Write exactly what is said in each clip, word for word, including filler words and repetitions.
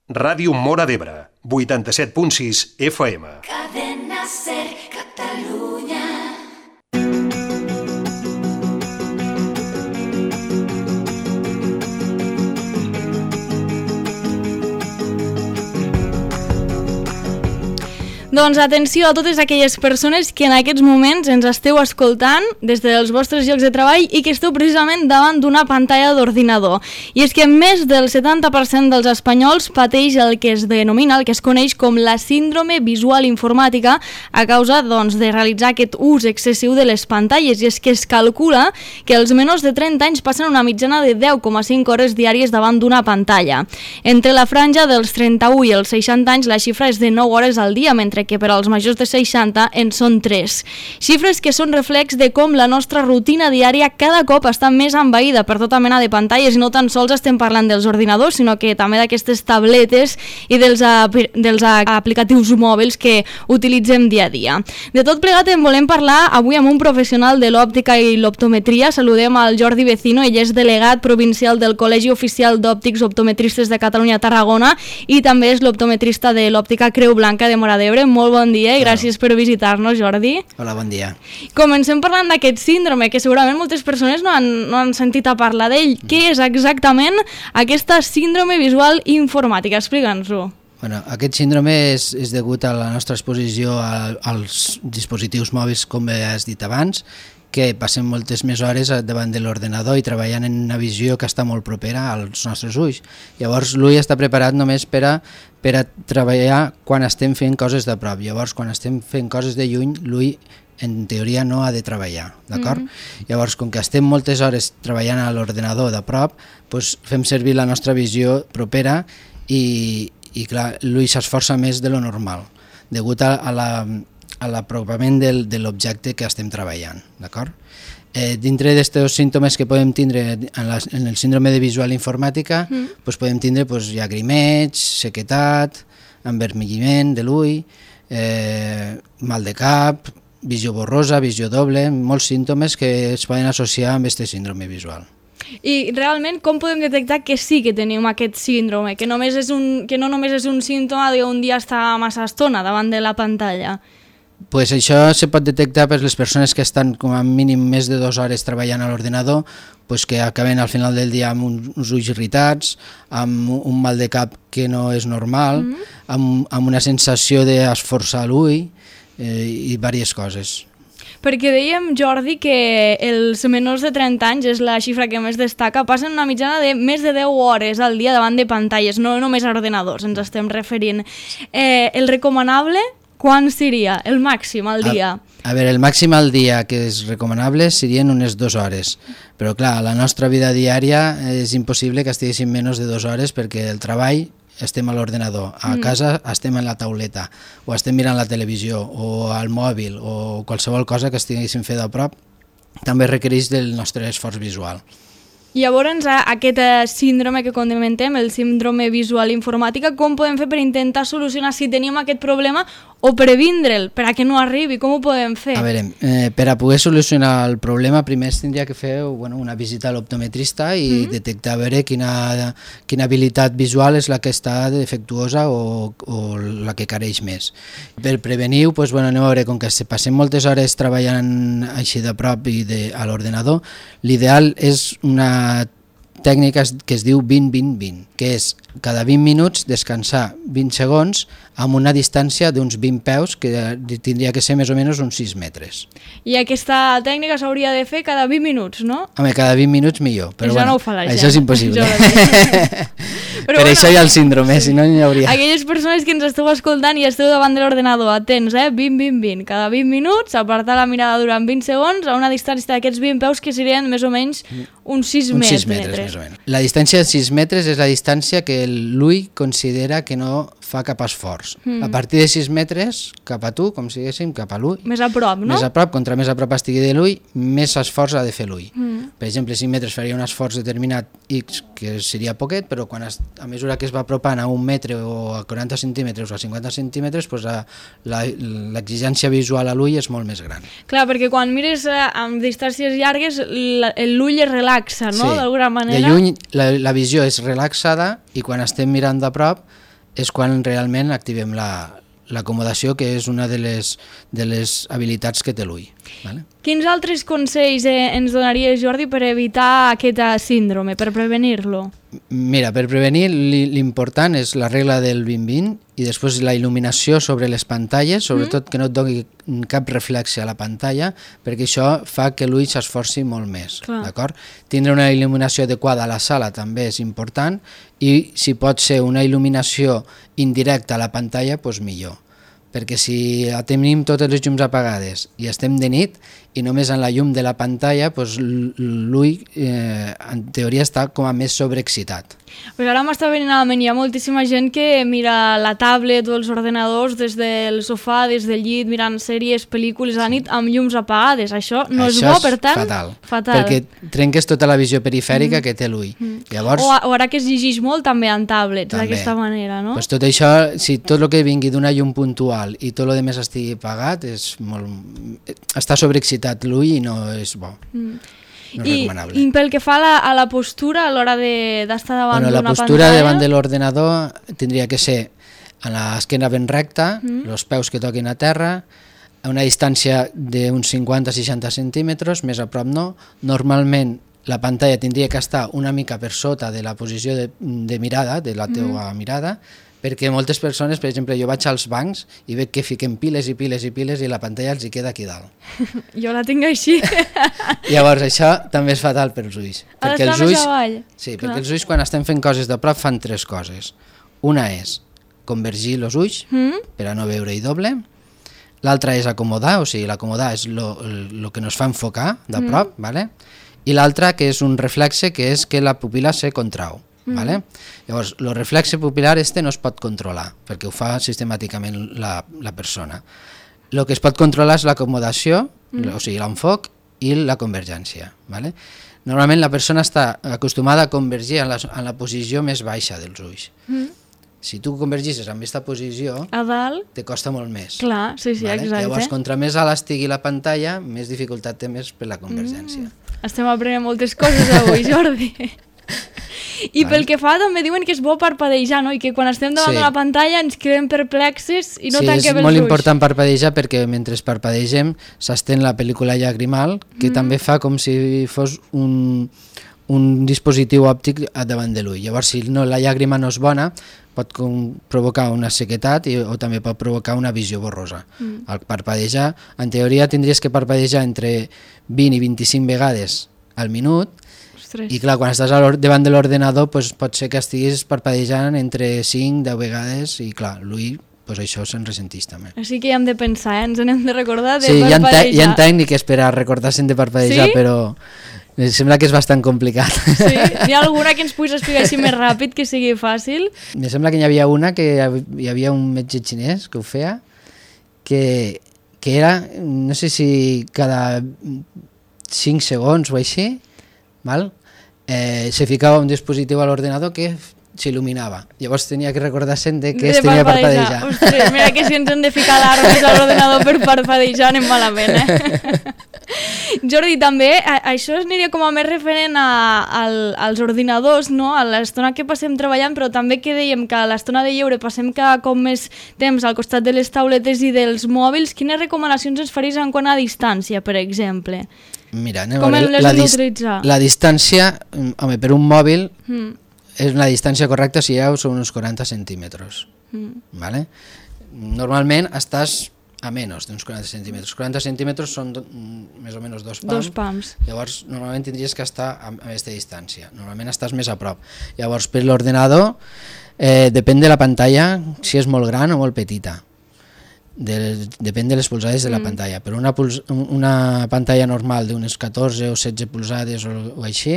Ràdio Móra d'Ebre, vuitanta-set punt sis F M. Cadena Ser Catalunya. Doncs atenció a totes aquelles persones que en aquests moments ens esteu escoltant des dels vostres llocs de treball i que esteu precisament davant d'una pantalla d'ordinador. I és que més del setanta per cent dels espanyols pateix el que es denomina, el que es coneix com la síndrome visual informàtica a causa doncs, de realitzar aquest ús excessiu de les pantalles. I és que es calcula que els menors de trenta anys passen una mitjana de deu coma cinc hores diàries davant d'una pantalla. Entre la franja dels trenta-u i els seixanta anys la xifra és de nou hores al dia, mentre que per als majors de seixanta en són tres. Xifres que són reflex de com la nostra rutina diària cada cop està més envaïda per tota mena de pantalles, i no tan sols estem parlant dels ordinadors, sinó que també d'aquestes tabletes i dels, dels aplicatius mòbils que utilitzem dia a dia. De tot plegat en volem parlar avui amb un professional de l'òptica i l'optometria. Saludem al Jordi Vecino, ell és delegat provincial del Col·legi Oficial d'Òptics Optometristes de Catalunya Tarragona i també és l'optometrista de l'òptica Creu Blanca de Móra d'Ebre. Molt bon dia i gràcies per visitar-nos, Jordi. Hola, bon dia. Comencem parlant d'aquest síndrome, que segurament moltes persones no han, no han sentit a parlar d'ell. Mm. Què és exactament aquesta síndrome visual informàtica? Explica'ns-ho. Bueno, aquest síndrome és, és degut a la nostra exposició a, als dispositius mòbils, com has dit abans, que passem moltes més hores davant de l'ordenador i treballant en una visió que està molt propera als nostres ulls. Llavors l'ull està preparat només per a, per a treballar quan estem fent coses de prop. Llavors quan estem fent coses de lluny, l'ull en teoria no ha de treballar, d'acord? Mm-hmm. Llavors, com que estem moltes hores treballant a l'ordenador de prop, doncs fem servir la nostra visió propera i, i clar, l'ull s'esforça més de lo normal, degut a, a la... a l'apropament del, de l'objecte que estem treballant, d'acord? Eh, dintre d'aquests símptomes que podem tindre en, la, en el síndrome de visual informàtica, mm. pues podem tindre pues, llagrimeig, sequetat, envermelliment de l'ull, eh, mal de cap, visió borrosa, visió doble, molts símptomes que es poden associar amb aquest síndrome visual. I realment com podem detectar que sí que tenim aquest síndrome, que, només és un, que no només és un símptoma d'un dia estar massa estona davant de la pantalla? Pues això se pot detectar per les persones que estan com a mínim més de dues hores treballant a l'ordenador, pues que acaben al final del dia amb uns ulls irritats, amb un mal de cap que no és normal, mm-hmm. amb, amb una sensació d'esforçar l'ull eh, i diverses coses. Perquè dèiem, Jordi, que els menors de trenta anys és la xifra que més destaca, passen una mitjana de més de deu hores al dia davant de pantalles, no només a ordenadors, ens estem referint. Eh, el recomanable, quan seria? El màxim al dia? A, a veure, el màxim al dia que és recomanable serien unes dues hores, però clar, a la nostra vida diària és impossible que estiguéssim menys de dues hores perquè el treball estem a l'ordenador, a mm. casa estem en la tauleta, o estem mirant la televisió, o al mòbil, o qualsevol cosa que estiguéssim fent a prop, també requereix del nostre esforç visual. Llavors, aquest síndrome que comentem, el síndrome visual informàtica, com podem fer per intentar solucionar si tenim aquest problema o previndre'l, per a que no arribi? Com ho podem fer? A veure, eh, per a poder solucionar el problema, primer es tindria que fer bueno, una visita a l'optometrista i mm-hmm. detectar a veure quina, quina habilitat visual és la que està defectuosa o, o la que careix més. Per prevenir-ho, doncs, bueno, anem a veure, com que se passem moltes hores treballant així de prop i de, a l'ordenador, l'ideal és una tècnica que es diu vint vint vint, que és cada vint minuts descansar vint segons amb una distància d'uns vint peus, que tindria que ser més o menys uns sis metres. I aquesta tècnica s'hauria de fer cada vint minuts, no? Home, cada vint minuts millor, però això bueno, no ho fa la gent. Això és impossible. Però per bueno, això hi ha el síndrome, si no n'hi hauria. Aquelles persones que ens esteu escoltant i esteu davant de l'ordenador, atents, eh? vint vint vint, cada vint minuts, apartar la mirada durant vint segons a una distància d'aquests vint peus que serien més o menys uns sis uns metres. sis metres més o menys. La distància de sis metres és la distància que l'ull considera que no fa cap esforç. Mm. A partir de sis metres, cap a tu, com si diguéssim, cap a l'ull. Més a prop, no? Més a prop, contra més a prop estigui de l'ull, més esforç ha de fer l'ull. Mm. Per exemple, cinc metres faria un esforç determinat X, que seria poquet, però quan es, a mesura que es va apropant a un metre o a quaranta centímetres o a cinquanta centímetres, doncs l'exigència visual a l'ull és molt més gran. Clar, perquè quan mires eh, amb distàncies llargues, l'ull es relaxa, no? Sí, d'alguna manera. de lluny la, la visió és relaxada i quan estem mirant de prop és quan realment activem la, l'acomodació, que és una de les, de les habilitats que té l'ull. Vale? Quins altres consells eh, ens donaries, Jordi, per evitar aquest síndrome, per prevenir-lo? Mira, per prevenir l'important és la regla del vint vint i després la il·luminació sobre les pantalles, sobretot mm. que no et doni cap reflexe a la pantalla, perquè això fa que l'ull s'esforci molt més. D'acord? Tindre una il·luminació adequada a la sala també és important i si pot ser una il·luminació indirecta a la pantalla, doncs millor. Perquè si tenim totes les llums apagades i estem de nit i només en la llum de la pantalla, doncs l'ull eh, en teoria està com a més sobreexcitat. Pues ara m'està venint a la ment, hi ha moltíssima gent que mira la tablet o els ordenadors des del sofà, des del llit, mirant sèries, pel·lícules a la nit amb llums apagades. Això no Això és bo, per tant... fatal, fatal. perquè trenques tota la visió perifèrica mm. que té l'ull. Mm. Llavors... O, o ara que es llegeix molt també en tablets, d'aquesta manera, no? Pues tot això, si tot el que vingui d'una llum puntual i tot el que estigui apagat, és molt... està sobreexcitat l'ull i no és bo. Mm. No és I, recomanable. I pel que fa a la, a la postura a l'hora d'estar davant bueno, d'una pantalla... La postura davant de l'ordenador tindria que ser a l'esquena ben recta, mm. els peus que toquin a terra, a una distància d'uns cinquanta a seixanta centímetres, més a prop no. Normalment la pantalla tindria que estar una mica per sota de la posició de, de mirada, de la teua mm. mirada, perquè moltes persones, per exemple, jo vaig als bancs i veig que fiquen piles i piles i piles i la pantalla els hi queda aquí dalt. Jo la tinc així. Llavors això també és fatal per als ulls. Ha perquè d'estar els ulls, més avall. Sí, Clar. perquè els ulls quan estem fent coses de prop fan tres coses. Una és convergir els ulls mm. per a no veure-hi doble. L'altra és acomodar, o sigui, l'acomodar és el que ens fa enfocar de prop, mm. vale? I l'altra que és un reflexe que és que la pupil·la se contrau. Mm. Vale? Llavors, el reflexe pupil·lar este no es pot controlar, perquè ho fa sistemàticament la, la persona. El que es pot controlar és l'acomodació, mm. o sigui, l'enfoc i la convergència. Vale? Normalment la persona està acostumada a convergir en la, en la posició més baixa dels ulls. Mm. Si tu convergisses en aquesta posició, a dalt, te costa molt més. Clar, sí, sí, vale? exacte. Llavors, contra més alt estigui la pantalla, més dificultat té més per la convergència. Mm. Estem aprenent moltes coses avui, Jordi. I vale. Pel que fa també diuen que és bo parpadejar, no? I que quan estem davant sí. de la pantalla ens quedem perplexes i no sí, tanquem els ulls. Sí, és molt important parpadejar perquè mentre parpadegem s'estén la pel·lícula llagrimal, que mm. també fa com si fos un, un dispositiu òptic davant de l'ull. Llavors, si no, la llàgrima no és bona, pot com provocar una sequetat i, o també pot provocar una visió borrosa. Mm. Al parpadejar, en teoria tindries que parpadejar entre vint i vint-i-cinc vegades al minut. Ostres. I clar, quan estàs davant de l'ordenador pues, pot ser que estiguis parpadejant entre cinc a deu vegades i clar, l'ull pues, això se'n ressentís també. Així que ja hem de pensar, eh? Ens n'hem de recordar de sí, parpadejar. Sí, hi ha tècniques per a recordar-se'n de parpadejar, sí? Però em sembla que és bastant complicat. Sí? Hi ha alguna que ens puguis explicar així més ràpid, que sigui fàcil? Em sembla que hi havia una que hi havia un metge xinès que ho feia, que, que era, no sé si cada cinc segons o així, val? Eh, se ficava un dispositiu a l'ordenador que s'il·luminava. Llavors tenia que recordar-se'n de que de es tenia que parpadejar. Ostres, mira que si ens hem de ficar alarmes a l'ordenador per parpadejar anem malament, eh? Jordi, també, això aniria com a més referent a, a, als ordinadors, no? A l'estona que passem treballant, però també que dèiem que a l'estona de lleure passem cada cop més temps al costat de les tauletes i dels mòbils. Quines recomanacions ens faries en quant a distància, per exemple? Mira, anem com a veure, la, dis la distància, home, per un mòbil mm. és una distància correcta si hi ha són uns quaranta centímetres. Mm. Vale? Normalment estàs a menys d'uns quaranta centímetres. quaranta centímetres són do, més o menys dos pams. Dos pams. Llavors, normalment tindries que estar a, a aquesta distància. Normalment estàs més a prop. Llavors, per l'ordenador, eh, depèn de la pantalla, si és molt gran o molt petita. De, depèn de les polzades de la mm. pantalla, però una, una pantalla normal d'unes catorze o setze polzades o, o així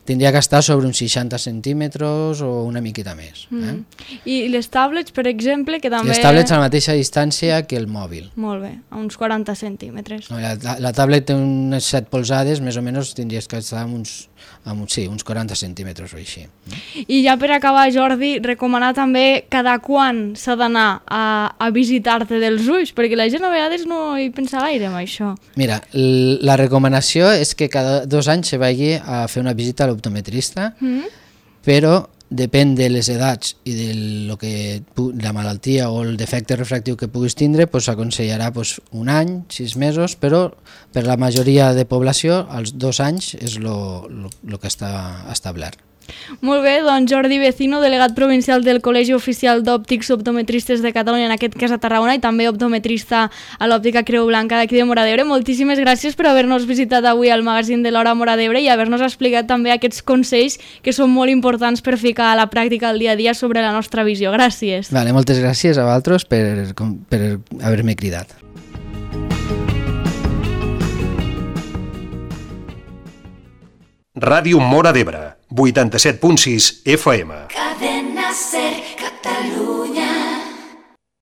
tindria que estar sobre uns seixanta centímetres o una miqueta més. Mm. Eh? I les tablets, per exemple, que també... Les tablets a la mateixa distància que el mòbil. Molt bé, a uns quaranta centímetres. No, la, la, la tablet té unes set polzades, més o menys tindries que estar amb uns, amb uns, sí, uns quaranta centímetres o així. I ja per acabar, Jordi, recomanar també cada quan s'ha d'anar a, a visitar-te dels ulls, perquè la gent a vegades no hi pensa gaire amb això. Mira, la recomanació és que cada dos anys se vagi a fer una visita a l'optometrista, mm. però depèn de les edats i de lo que, la malaltia o el defecte refractiu que puguis tindre, pues, s'aconsellarà pues, un any, sis mesos, però per la majoria de població els dos anys és el que està establert. Molt bé, doncs Jordi Vecino, delegat provincial del Col·legi Oficial d'Òptics Optometristes de Catalunya, en aquest cas a Tarragona, i també optometrista a l'Òptica Creu Blanca d'aquí de Móra d'Ebre. Moltíssimes gràcies per haver-nos visitat avui al magazín de l'Hora Móra d'Ebre i haver-nos explicat també aquests consells que són molt importants per ficar a la pràctica el dia a dia sobre la nostra visió. Gràcies. Vale, moltes gràcies a vosaltres per, per haver-me cridat. Ràdio Móra d'Ebre, vuitanta-set punt sis F M. Cadena Ser.